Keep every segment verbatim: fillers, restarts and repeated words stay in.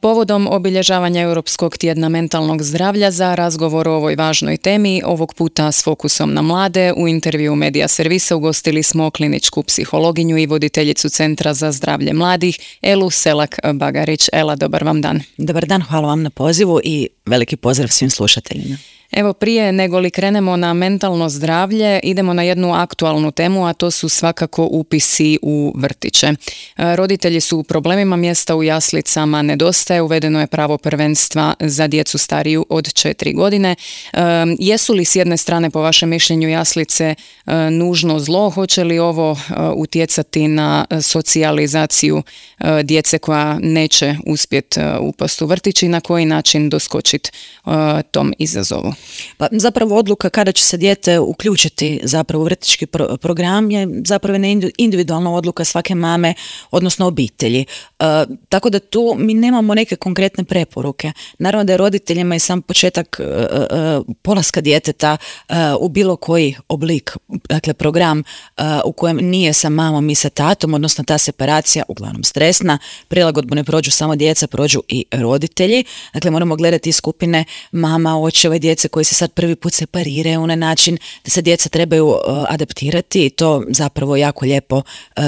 Povodom obilježavanja Europskog tjedna mentalnog zdravlja za razgovor o ovoj važnoj temi, ovog puta s fokusom na mlade, u intervju Medija Servisa ugostili smo kliničku psihologinju i voditeljicu Centra za zdravlje mladih, Elu Selak-Bagarić. Ela, dobar vam dan. Dobar dan, hvala vam na pozivu i veliki pozdrav svim slušateljima. Evo, prije nego li krenemo na mentalno zdravlje, idemo na jednu aktualnu temu, a to su svakako upisi u vrtiće. Roditelji su u problemima, mjesta u jaslicama nedostaje, uvedeno je pravo prvenstva za djecu stariju od četiri godine. E, jesu li s jedne strane, po vašem mišljenju, jaslice e, nužno zlo? Hoće li ovo e, utjecati na socijalizaciju e, djece koja neće uspjeti e, upast u vrtić i na koji način doskočiti e, tom izazovu? Pa zapravo odluka kada će se dijete uključiti zapravo u vrtićki pro- program je zapravo individualna odluka svake mame, odnosno obitelji. E, tako da tu mi nemamo neke konkretne preporuke. Naravno da je roditeljima i sam početak e, e, polaska djeteta e, u bilo koji oblik, dakle program e, u kojem nije sa mamom i sa tatom, odnosno ta separacija uglavnom stresna, prilagodbu ne prođu samo djeca, prođu i roditelji. Dakle, moramo gledati skupine mama, očeva i djece koji se sad prvi put separiraju na način da se djeca trebaju uh, adaptirati i to zapravo jako lijepo uh,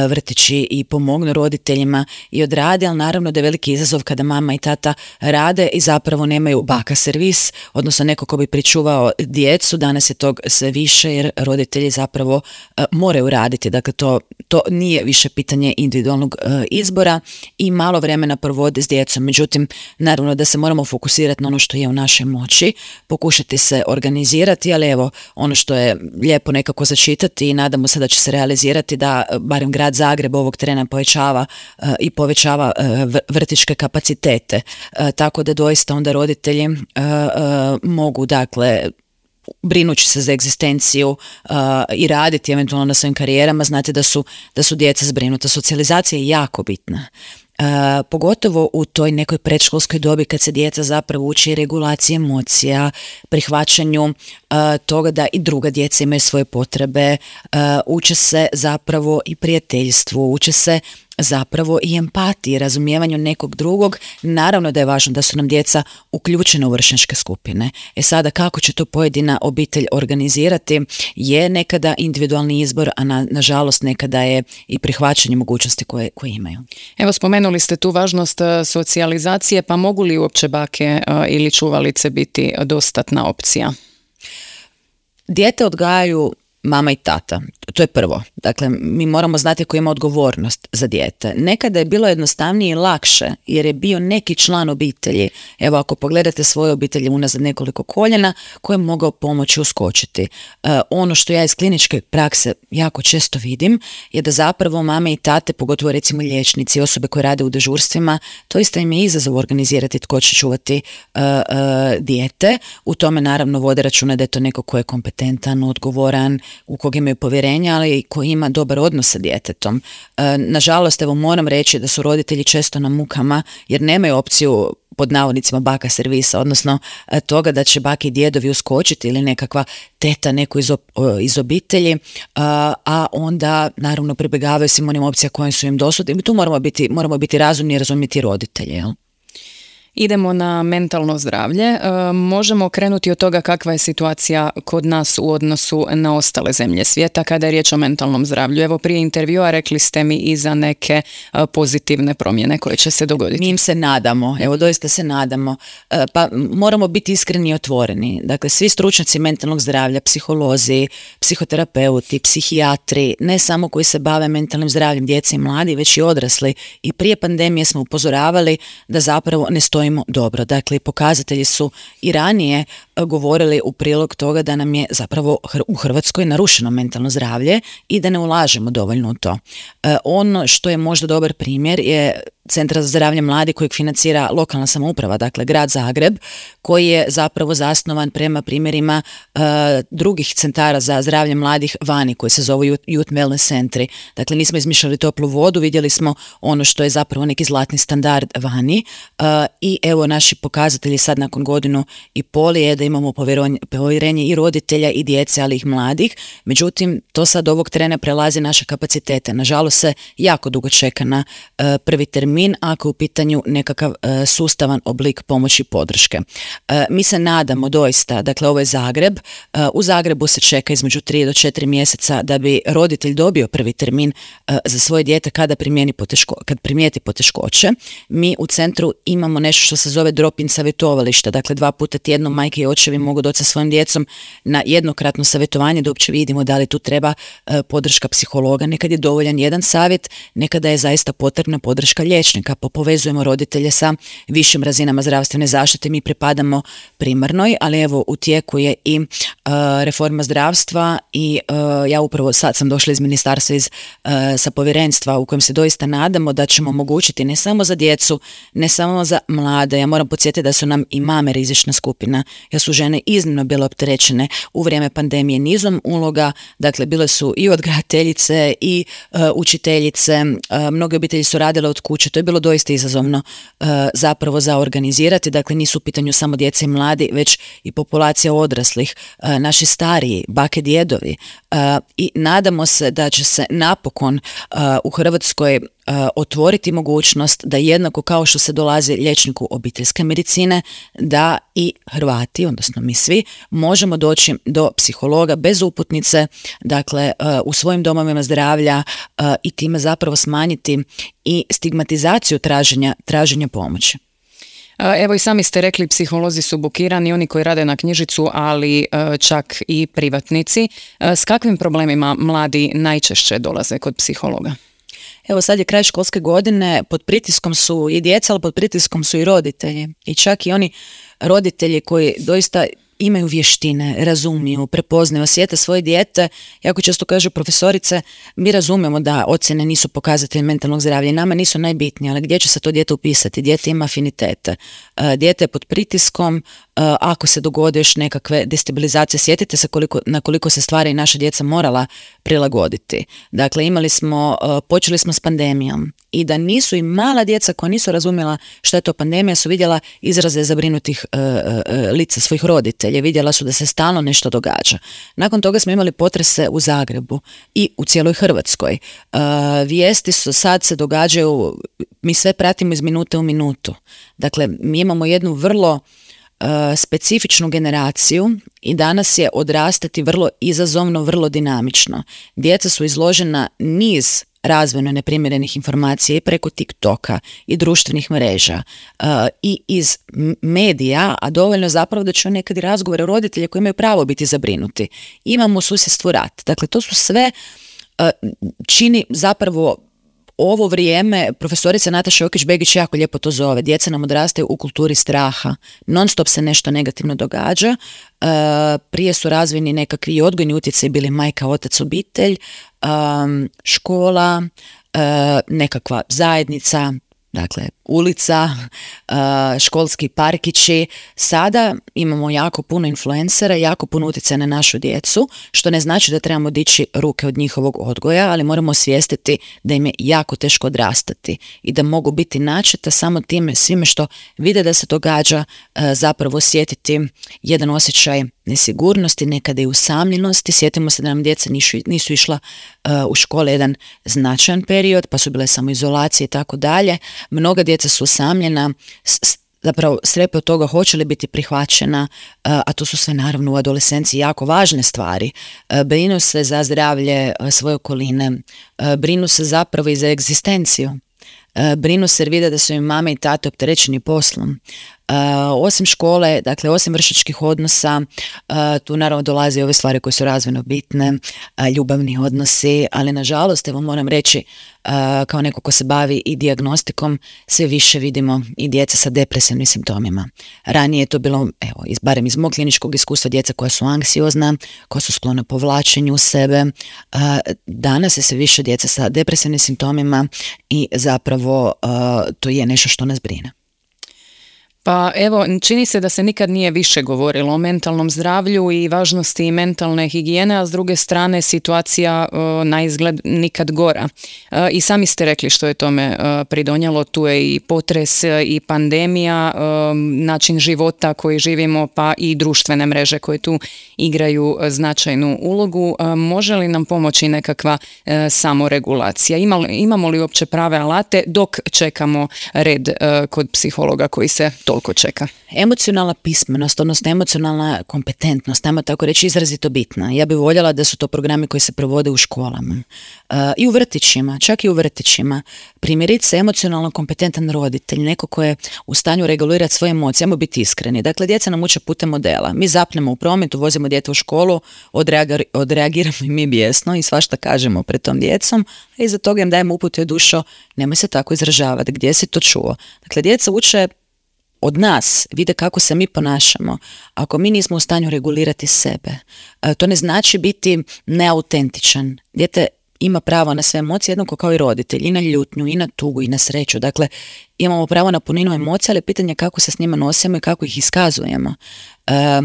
vrtići i pomognu roditeljima i odrade, ali naravno da je veliki izazov kada mama i tata rade i zapravo nemaju baka servis, odnosno neko ko bi pričuvao djecu. Danas je tog sve više jer roditelji zapravo uh, moraju raditi, dakle to, to nije više pitanje individualnog uh, izbora i malo vremena provode s djecom. Međutim, naravno da se moramo fokusirati na ono što je u našoj moći, pokušati se organizirati, ali evo ono što je lijepo nekako začitati i nadamo se da će se realizirati da barem grad Zagreb ovog trena povećava uh, i povećava uh, vrtićke kapacitete. Uh, tako da doista onda roditelji uh, uh, mogu dakle brinući se za egzistenciju uh, i raditi eventualno na svojim karijerama, znate da su, da su djeca zbrinuta. Socijalizacija je jako bitna. Uh, pogotovo u toj nekoj predškolskoj dobi kad se djeca zapravo uči regulaciji emocija, prihvaćanju uh, toga da i druga djeca imaju svoje potrebe, uh, uče se zapravo i prijateljstvu, uče se zapravo i empatiji, razumijevanju nekog drugog. Naravno da je važno da su nam djeca uključene u vršnjačke skupine. E sada kako će to pojedina obitelj organizirati je nekada individualni izbor, a na, nažalost nekada je i prihvaćanje mogućnosti koje, koje imaju. Evo, spomenuli ste tu važnost socijalizacije, pa mogu li uopće bake ili čuvalice biti dostatna opcija? Dijete odgajaju mama i tata, to je prvo. Dakle, mi moramo znati ko ima odgovornost za dijete. Nekada je bilo jednostavnije i lakše, jer je bio neki član obitelji. Evo, ako pogledate svoje obitelji unazad nekoliko koljena, koje je mogao pomoći uskočiti. E, ono što ja iz kliničke prakse jako često vidim, je da zapravo mame i tate, pogotovo recimo liječnici, osobe koje rade u dežurstvima, to isto im je izazov organizirati tko će čuvati e, e, dijete. U tome naravno vode računa da je to neko ko je kompetentan, odgovoran, u kog imaju povjerenja, ali i koji ima dobar odnos sa djetetom. E, nažalost, evo moram reći da su roditelji često na mukama jer nemaju opciju pod navodnicima baka servisa, odnosno e, toga da će baki i djedovi uskočiti ili nekakva teta neko iz, o, iz obitelji, a, a onda naravno pribjegavaju svim onim opcija koje su im dosudne. I tu moramo biti, moramo biti razumni i razumjeti roditelje, jel? Idemo na mentalno zdravlje. E, možemo krenuti od toga kakva je situacija kod nas u odnosu na ostale zemlje svijeta kada je riječ o mentalnom zdravlju. Evo, prije intervjua rekli ste mi i za neke e, pozitivne promjene koje će se dogoditi. Mi im se nadamo, evo doista se nadamo. E, pa moramo biti iskreni i otvoreni. Dakle, svi stručnjaci mentalnog zdravlja, psiholozi, psihoterapeuti, psihijatri, ne samo koji se bave mentalnim zdravljem djece i mladi, već i odrasli. I prije pandemije smo upozoravali da zapravo ne stoji dobro. Dakle, pokazatelji su i ranije govorili u prilog toga da nam je zapravo u Hrvatskoj narušeno mentalno zdravlje i da ne ulažemo dovoljno u to. E, ono što je možda dobar primjer je Centra za zdravlje mladih kojeg financira lokalna samouprava, dakle grad Zagreb, koji je zapravo zasnovan prema primjerima uh, drugih centara za zdravlje mladih vani, koji se zovu Youth Wellness centri. Dakle, nismo izmišljali toplu vodu, vidjeli smo ono što je zapravo neki zlatni standard vani uh, i evo naši pokazatelji sad nakon godinu i pol je da imamo povjerenje i roditelja i djece, ali i mladih. Međutim, to sad ovog trena prelazi naše kapacitete. Nažalost se jako dugo čeka na uh, prvi termin ako je u pitanju nekakav uh, sustavan oblik pomoći i podrške. Uh, mi se nadamo doista, dakle ovo je Zagreb, uh, u Zagrebu se čeka između tri do četiri mjeseca da bi roditelj dobio prvi termin uh, za svoje dijete kada primijeni poteško, kad primijeti poteškoće. Mi u centru imamo nešto što se zove drop-in savjetovalište, dakle dva puta tjedno majke i očevi mogu doći sa svojim djecom na jednokratno savjetovanje da uopće vidimo da li tu treba uh, podrška psihologa, nekad je dovoljan jedan savjet, nekada je zaista potrebna podrška liječnika, pa povezujemo roditelje sa višim razinama zdravstvene zaštite, mi pripadamo primarnoj, ali evo u tijeku je i uh, reforma zdravstva i uh, ja upravo sad sam došla iz ministarstva iz, uh, sa povjerenstva u kojem se doista nadamo da ćemo omogućiti ne samo za djecu, ne samo za mlade, ja moram podsjetiti da su nam i mame rizična skupina, jer su žene iznimno bile opterećene u vrijeme pandemije nizom uloga, dakle bile su i odgajateljice i uh, učiteljice, uh, mnoge obitelji su radile od kuće, to je bilo doista izazovno uh, zapravo za organizirati, dakle nisu u pitanju samo djece i mladi, već i populacija odraslih, uh, naši stariji, bake, djedovi uh, i nadamo se da će se napokon uh, u Hrvatskoj uh, otvoriti mogućnost da jednako kao što se dolazi liječniku obiteljske medicine, da i Hrvati, odnosno mi svi, možemo doći do psihologa bez uputnice, dakle uh, u svojim domovima zdravlja uh, i time zapravo smanjiti i stigmatizaciju traženja, traženja pomoći. Evo i sami ste rekli, psiholozi su bukirani, oni koji rade na knjižicu, ali čak i privatnici. S kakvim problemima mladi najčešće dolaze kod psihologa? Evo sad je kraj školske godine, pod pritiskom su i djeca, ali pod pritiskom su i roditelji. I čak i oni roditelji koji doista imaju vještine, razumiju, prepoznaju, osjete svoje dijete. Jako često kažu profesorice, mi razumijemo da ocjene nisu pokazatelj mentalnog zdravlja i nama nisu najbitnije, ali gdje će se to dijete upisati? Dijete ima afinitete. Dijete je pod pritiskom, ako se dogode još nekakve destabilizacije, sjetite se koliko, na koliko se stvari naša djeca morala prilagoditi. Dakle, imali smo, počeli smo s pandemijom i da nisu i mala djeca koja nisu razumjela šta je to pandemija su vidjela izraze zabrinutih uh, uh, lica svojih roditelja, vidjela su da se stalno nešto događa. Nakon toga smo imali potrese u Zagrebu i u cijeloj Hrvatskoj. Uh, vijesti su sad se događaju, mi sve pratimo iz minute u minutu. Dakle, mi imamo jednu vrlo Uh, specifičnu generaciju i danas je odrastati vrlo izazovno, vrlo dinamično. Djeca su izložena niz razvojno neprimjerenih informacija i preko TikToka i društvenih mreža uh, i iz medija, a dovoljno zapravo da će nekad i razgovore roditelja koji imaju pravo biti zabrinuti. Imamo u susjedstvu rat. Dakle, to su sve uh, čini zapravo ovo vrijeme, profesorica Nataša Jokić-Begić jako lijepo to zove, djeca nam odrastaju u kulturi straha, non stop se nešto negativno događa, e, prije su razvojni nekakvi odgojni utjecaj bili majka, otac, obitelj, e, škola, e, nekakva zajednica, dakle ulica, školski parkići. Sada imamo jako puno influencera, jako puno utjecaja na našu djecu, što ne znači da trebamo dići ruke od njihovog odgoja, ali moramo osvijestiti da im je jako teško odrastati i da mogu biti načeta samo time svime što vide da se događa, zapravo osjetiti jedan osjećaj nesigurnosti, nekada i usamljenosti. Sjetimo se da nam djeca nisu, nisu išla uh, u škole jedan značajan period, pa su bile samoizolacije i tako dalje. Mnoga djeca su usamljena, s, zapravo strepe od toga hoće li biti prihvaćena, uh, a to su sve naravno u adolescenciji jako važne stvari. Uh, brinu se za zdravlje uh, svoje okoline, uh, brinu se zapravo i za egzistenciju. Uh, brinu se jer vide da su im mame i tate opterećeni poslom. Uh, osim škole, dakle osim vršnjačkih odnosa, uh, tu naravno dolaze ove stvari koje su razvojno bitne, uh, ljubavni odnosi, ali nažalost, evo moram reći, uh, kao neko ko se bavi i dijagnostikom, sve više vidimo i djeca sa depresivnim simptomima. Ranije je to bilo, evo, iz, barem iz mog kliničkog iskustva, djeca koja su anksiozna, koja su sklona povlačenju u sebe. Uh, danas je sve više djeca sa depresivnim simptomima i zapravo uh, to je nešto što nas brine. Pa evo, čini se da se nikad nije više govorilo o mentalnom zdravlju i važnosti mentalne higijene, a s druge strane situacija o, na izgled nikad gora. E, I sami ste rekli što je tome e, pridonijelo, tu je i potres i pandemija, e, način života koji živimo, pa i društvene mreže koje tu igraju značajnu ulogu. E, može li nam pomoći nekakva e, samoregulacija? Ima, imamo li uopće prave alate dok čekamo red e, kod psihologa koji se toliko čeka? Emocionalna pismenost, odnosno emocionalna kompetentnost, ajmo tako reći, izrazito bitna. Ja bih voljela da su to programi koji se provode u školama uh, i u vrtićima, čak i u vrtićima. Primjerice, emocionalno kompetentan roditelj, neko ko je u stanju regulirati svoje emocije, ajmo biti iskreni. Dakle, djeca nam uče putem modela. Mi zapnemo u prometu, vozimo dijete u školu, odreagir, odreagiramo i mi bijesno i svašta kažemo pred tom djecom, a iza toga im dajemo upute: dušo, nemoj se tako izražavati, gdje si to čuo? Dakle, djeca uče od nas, vide kako se mi ponašamo. Ako mi nismo u stanju regulirati sebe, to ne znači biti neautentičan. Dijete ima pravo na sve emocije, jednako kao i roditelj, i na ljutnju, i na tugu, i na sreću. Dakle, imamo pravo na puninu emocija, ali pitanje je kako se s njima nosimo i kako ih iskazujemo. E,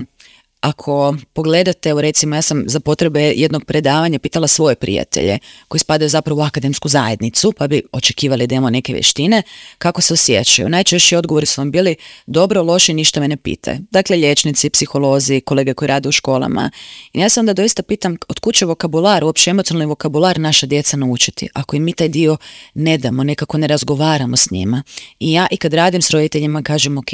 Ako pogledate, evo recimo, ja sam za potrebe jednog predavanja pitala svoje prijatelje koji spadaju zapravo u akademsku zajednicu, pa bi očekivali da imamo neke vještine, kako se osjećaju. Najčešći odgovori su vam bili: dobro, loše, ništa me ne pite. Dakle, liječnici, psiholozi, kolege koji rade u školama. I ja se onda doista pitam, od kud će vokabular, uopće emocionalni vokabular naša djeca naučiti, ako im mi taj dio ne damo, nekako ne razgovaramo s njima. I ja i kad radim s roditeljima kažem: ok,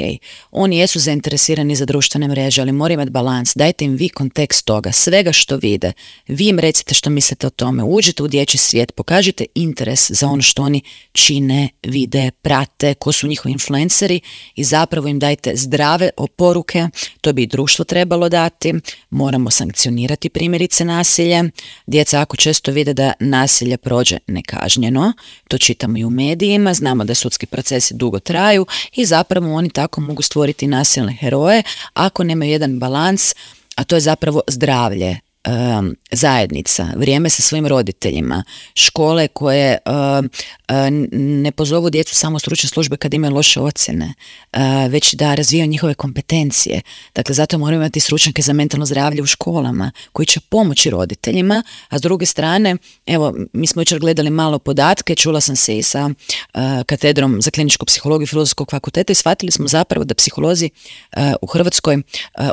oni jesu zainteresirani za društvene mreže, ali moraju imati balans. Dajte im vi kontekst toga, svega što vide. Vi im recite što mislite o tome, uđite u dječji svijet, pokažite interes za ono što oni čine, vide, prate, ko su njihovi influenceri i zapravo im dajte zdrave oporuke. To bi i društvo trebalo dati. Moramo sankcionirati primjerice nasilje. Djeca ako često vide da nasilje prođe nekažnjeno, to čitamo i u medijima, znamo da sudski procesi dugo traju i zapravo oni tako mogu stvoriti nasilne heroje ako nemaju jedan balans, a to je zapravo zdravlje, um, zajednica, vrijeme sa svojim roditeljima, škole koje um, ne pozovu djecu samo stručne službe kad imaju loše ocjene, uh, već da razvijaju njihove kompetencije. Dakle, zato moramo imati stručnjake za mentalno zdravlje u školama koji će pomoći roditeljima, a s druge strane, evo, mi smo jučer gledali malo podatke, čula sam se i sa uh, katedrom za kliničku psihologiju Filozofskog fakulteta i shvatili smo zapravo da psiholozi uh, u Hrvatskoj, uh,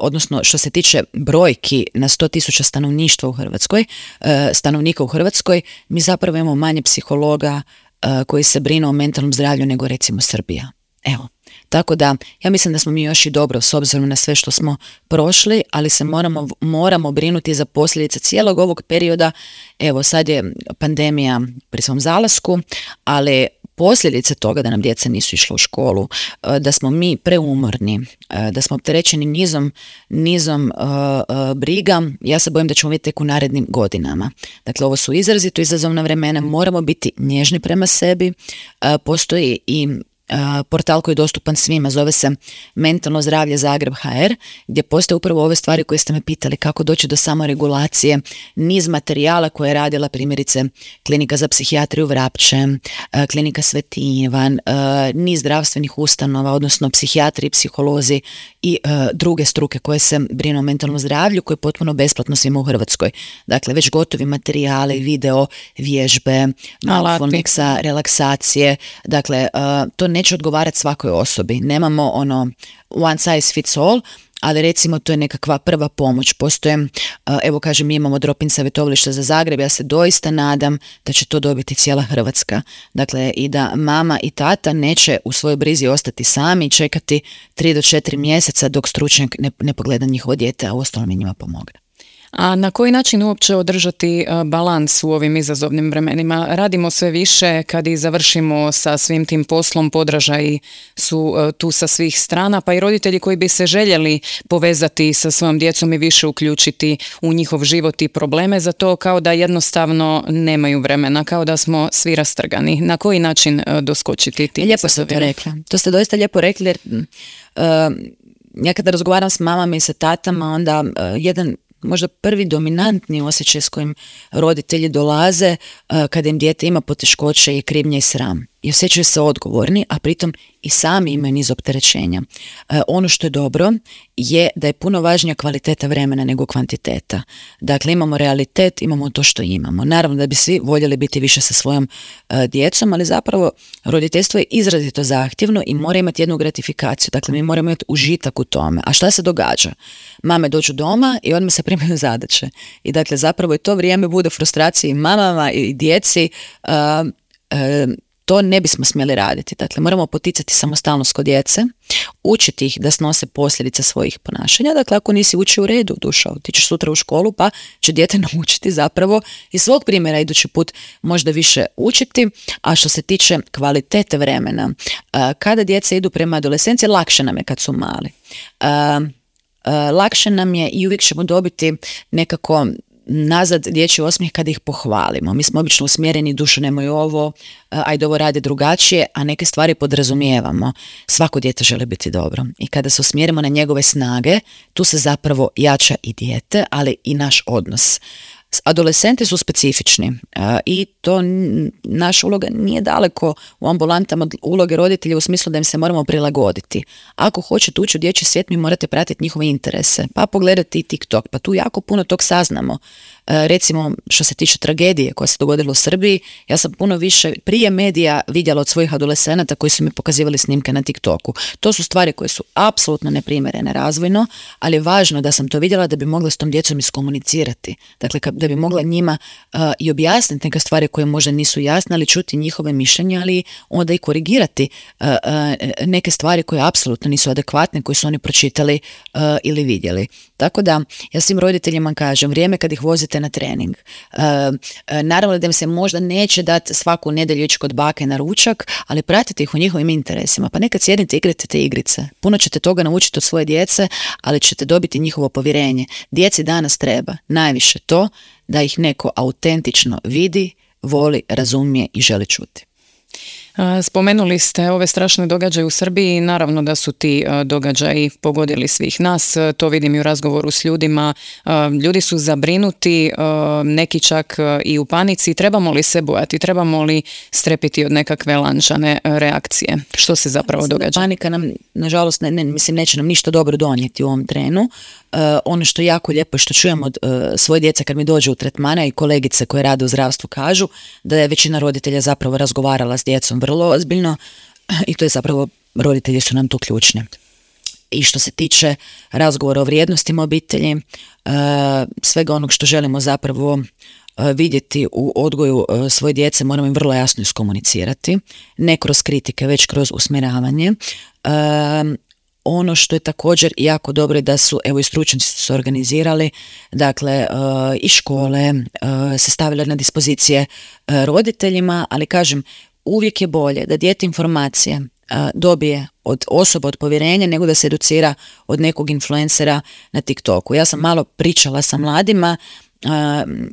odnosno što se tiče brojki na sto tisuća stanovništva u Hrvatskoj, uh, stanovnika u Hrvatskoj, mi zapravo imamo manje psihologa uh, koji se brinu o mentalnom zdravlju nego recimo Srbija. Evo. Tako da, ja mislim da smo mi još i dobro s obzirom na sve što smo prošli, ali se moramo, moramo brinuti za posljedice cijelog ovog perioda. Evo, sad je pandemija pri svom zalasku, ali posljedice toga da nam djeca nisu išla u školu, da smo mi preumorni, da smo opterećeni nizom, nizom uh, uh, briga, ja se bojim da ćemo vidjeti tek u narednim godinama. Dakle, ovo su izrazito izazovna vremena, moramo biti nježni prema sebi, uh, postoji i Uh, portal koji je dostupan svima, zove se Mentalno zdravlje Zagreb H R, gdje postoje upravo ove stvari koje ste me pitali, kako doći do samoregulacije, niz materijala koje je radila primjerice Klinika za psihijatriju Vrapče, uh, Klinika Sveti Ivan, uh, niz zdravstvenih ustanova, odnosno psihijatri, psiholozi i uh, druge struke koje se brinu o mentalnom zdravlju, koje je potpuno besplatno svima u Hrvatskoj. Dakle, već gotovi materijali, video, vježbe, mindfulnessa, relaksacije, dakle, uh, to neće odgovarati svakoj osobi. Nemamo ono one size fits all, ali recimo to je nekakva prva pomoć. Postoje, evo kažem, mi imamo drop-in savjetovalište za Zagreb, ja se doista nadam da će to dobiti cijela Hrvatska. Dakle, i da mama i tata neće u svojoj brizi ostati sami i čekati tri do četiri mjeseca dok stručnjak ne, ne pogleda njihovo dijete, a uostalom i njima pomogne. A na koji način uopće održati balans u ovim izazovnim vremenima? Radimo sve više kad i završimo sa svim tim poslom, podražaji su tu sa svih strana, pa i roditelji koji bi se željeli povezati sa svojom djecom i više uključiti u njihov život i probleme, za to kao da jednostavno nemaju vremena, kao da smo svi rastrgani. Na koji način doskočiti tim? Lijepo ste to rekla. To ste doista lijepo rekli, jer uh, ja kada razgovaram s mamama i sa tatama, onda uh, jedan možda prvi dominantni osjećaj s kojim roditelji dolaze uh, kada im dijete ima poteškoće i krivnja i sram. i osjećaju se odgovorni, a pritom i sami imaju niz opterećenja. E, ono što je dobro je da je puno važnija kvaliteta vremena nego kvantiteta. Dakle, imamo realitet, imamo to što imamo. Naravno da bi svi voljeli biti više sa svojom e, djecom, ali zapravo roditeljstvo je izrazito zahtjevno i mora imati jednu gratifikaciju. Dakle, mi moramo imati užitak u tome. A šta se događa? Mame dođu doma i odmah se primaju zadaće. I dakle, zapravo i to vrijeme bude frustracije i mamama i djeci. Uh, uh, to ne bismo smjeli raditi. Dakle, moramo poticati samostalnost kod djece, učiti ih da snose posljedice svojih ponašanja. Dakle, ako nisi učio u redu, dušo, ti ćeš sutra u školu, pa će dijete naučiti zapravo iz svog primjera idući put možda više učiti. A što se tiče kvalitete vremena, uh, kada djeca idu prema adolescenciji, lakše nam je kad su mali. Uh, Uh, lakše nam je i uvijek ćemo dobiti nekako nazad dječji osmijeh kada ih pohvalimo. Mi smo obično usmjereni, dušo nemoj ovo, uh, ajde ovo radi drugačije, a neke stvari podrazumijevamo. Svako dijete želi biti dobro. I kada se usmjerimo na njegove snage, tu se zapravo jača i dijete, ali i naš odnos. Adolescenti su specifični uh, i to n- naša uloga nije daleko u ambulantama od uloge roditelja u smislu da im se moramo prilagoditi. Ako hoćete ući u dječji svijet, mi morate pratiti njihove interese, pa pogledati i TikTok, pa tu jako puno tog saznamo. Uh, recimo, što se tiče tragedije koja se dogodila u Srbiji, ja sam puno više prije medija vidjela od svojih adolescenata koji su mi pokazivali snimke na TikToku. To su stvari koje su apsolutno neprimjerene razvojno, ali je važno da sam to vidjela da bi mogla s tom djecom iskomunicirati. Dakle, da bi mogla njima uh, i objasniti neke stvari koje možda nisu jasne, ali čuti njihove mišljenja, ali onda i korigirati uh, uh, neke stvari koje apsolutno nisu adekvatne, koje su oni pročitali uh, ili vidjeli. Tako da, ja svim roditeljima kažem, vrijeme kad ih vozite na trening, uh, uh, naravno da im se možda neće dati svaku nedjelju ići kod bake na ručak, ali pratite ih u njihovim interesima, pa nekad sjednite i igrate te igrice. Puno ćete toga naučiti od svoje djece, ali ćete dobiti njihovo povjerenje. Djeci danas treba najviše to da ih neko autentično vidi, voli, razumije i želi čuti. Spomenuli ste ove strašne događaje u Srbiji, naravno da su ti događaji pogodili svih nas, to vidim i u razgovoru s ljudima, ljudi su zabrinuti, neki čak i u panici. Trebamo li se bojati, trebamo li strepiti od nekakve lančane reakcije? Što se zapravo događa? Panika nam, nažalost, ne, ne, mislim, neće nam ništa dobro donijeti u ovom trenu. Uh, ono što je jako lijepo i što čujem od uh, svoje djece kad mi dođe u tretmana i kolegice koje rade u zdravstvu kažu da je većina roditelja zapravo razgovarala s djecom vrlo ozbiljno i to je zapravo, roditelji su nam tu ključni. I što se tiče razgovora o vrijednostima obitelji, uh, svega onog što želimo zapravo uh, vidjeti u odgoju uh, svoje djece, moramo im vrlo jasno iskomunicirati, ne kroz kritike, već kroz usmjeravanje. Uh, Ono što je također jako dobro je da su, evo i stručnjaci su se organizirali, dakle uh, i škole uh, se stavile na dispozicije uh, roditeljima, ali kažem, uvijek je bolje da dijete informacije uh, dobije od osoba od povjerenja nego da se educira od nekog influencera na TikToku. Ja sam malo pričala sa mladima uh,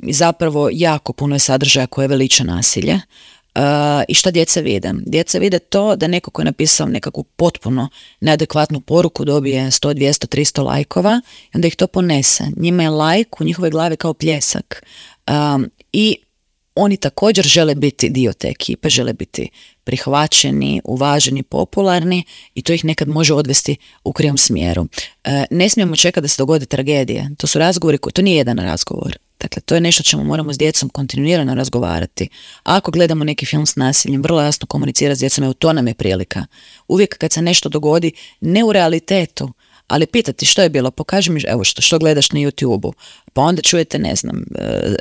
i zapravo jako puno je sadržaja koje veliča nasilje. Uh, i šta djeca vide? Djeca vide to da neko ko je napisao nekakvu potpuno neadekvatnu poruku dobije sto, dvjesto, tristo lajkova i onda ih to ponese. Njima je lajk u njihove glavi kao pljesak. Um, I oni također žele biti dio te ekipe, žele biti prihvaćeni, uvaženi, popularni i to ih nekad može odvesti u krivom smjeru. E, ne smijemo čekati da se dogode tragedije. To su razgovori koji, to nije jedan razgovor. Dakle, to je nešto čemu moramo s djecom kontinuirano razgovarati. A ako gledamo neki film s nasiljem, vrlo jasno komunicirati s djecom, evo to nam je prilika. Uvijek kad se nešto dogodi, ne u realitetu, ali pitati što je bilo, pokaži mi, evo što, što gledaš na YouTubeu, pa onda čujete, ne znam,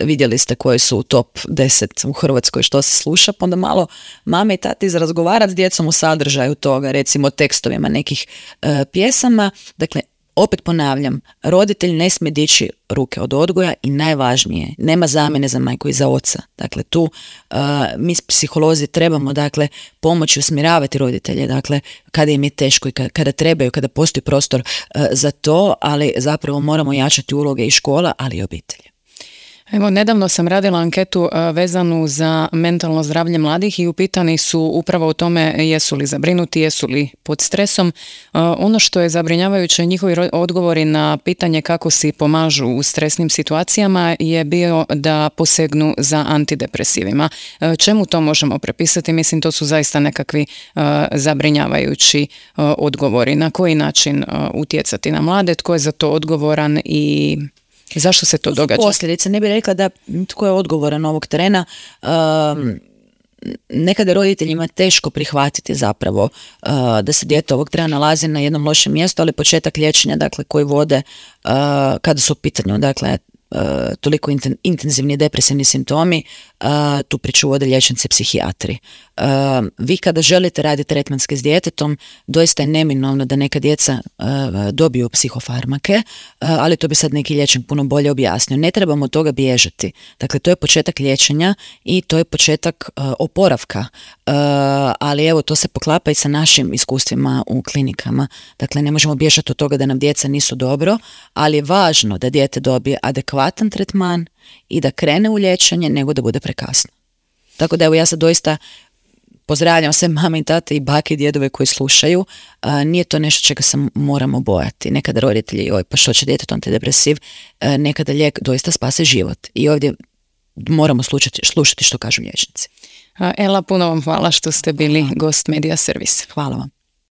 vidjeli ste koji su u top deset u Hrvatskoj što se sluša, pa onda malo mame i tati razgovarati s djecom u sadržaju toga, recimo tekstovima nekih uh, pjesama. Dakle, opet ponavljam, roditelj ne smije dići ruke od odgoja i najvažnije, nema zamjene za majku i za oca. Dakle, tu uh, mi psiholozi trebamo, dakle, pomoći usmjeravati roditelje, dakle, kada im je teško i kada, kada trebaju, kada postoji prostor uh, za to, ali zapravo moramo jačati uloge i škola, ali i obitelji. Evo, nedavno sam radila anketu vezanu za mentalno zdravlje mladih i upitani su upravo o tome jesu li zabrinuti, jesu li pod stresom. Ono što je zabrinjavajuće, njihovi odgovori na pitanje kako si pomažu u stresnim situacijama je bio da posegnu za antidepresivima. Čemu to možemo prepisati? Mislim, to su zaista nekakvi zabrinjavajući odgovori. Na koji način utjecati na mlade, tko je za to odgovoran i zašto se to, to događa? Posljedice, ne bih rekla da tko je odgovoran ovog trena. Um, nekada je roditeljima teško prihvatiti zapravo uh, da se dijete ovog trena nalazi na jednom lošem mjestu, ali početak liječenja, dakle, koji vode uh, kada su u pitanju, dakle, Uh, toliko inten, intenzivni depresivni simptomi, uh, tu priču vode liječnici psihijatri. Uh, vi kada želite raditi tretmanske s djetetom, doista je neminovno da neka djeca uh, dobiju psihofarmake, uh, ali to bi sad neki liječnik puno bolje objasnio. Ne trebamo od toga bježati. Dakle, to je početak liječenja i to je početak uh, oporavka. Uh, ali evo, to se poklapa i sa našim iskustvima u klinikama. Dakle, ne možemo bježati od toga da nam djeca nisu dobro, ali je važno da dijete dobije adekvatan tretman i da krene u liječenje nego da bude prekasno. Tako da evo, ja sad doista pozdravljam sve mame i tate i bake i djedove koji slušaju. A, nije to nešto čega se moramo bojati. Nekada roditelji, oj, pa što će djetetu antidepresiv, a, nekada lijek doista spase život. I ovdje moramo slušati, slušati što kažu liječnici. Ela, puno vam hvala što ste bili gost Media Servis. Hvala vam.